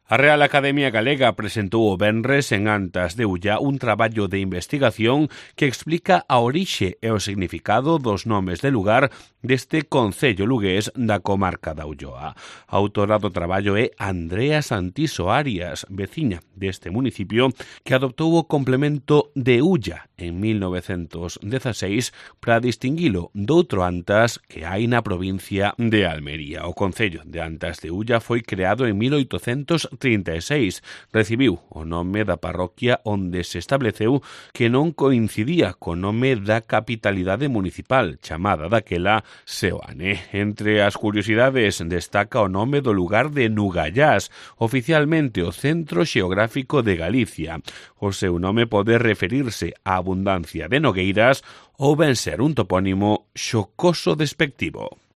A Real Academia Galega presentou o venres en Antas de Ulla un traballo de investigación que explica a orixe e o significado dos nomes de lugar deste concello lugués da comarca da Ulloa. A autora do traballo é Andrea Santiso Arias, veciña deste municipio que adoptou o complemento de Ulla en 1916 para distinguilo doutro Antas que hai na provincia de Almería. O concello de Antas de Ulla foi creado en 1836. Recibiu o nome da parroquia onde se estableceu que non coincidía co nome da capitalidade municipal, chamada daquela Seoane. Entre as curiosidades destaca o nome do lugar de Nugallás, oficialmente o Centro Xeográfico de Galicia. O seu nome pode referirse á abundancia de nogueiras ou ben ser un topónimo xocoso despectivo.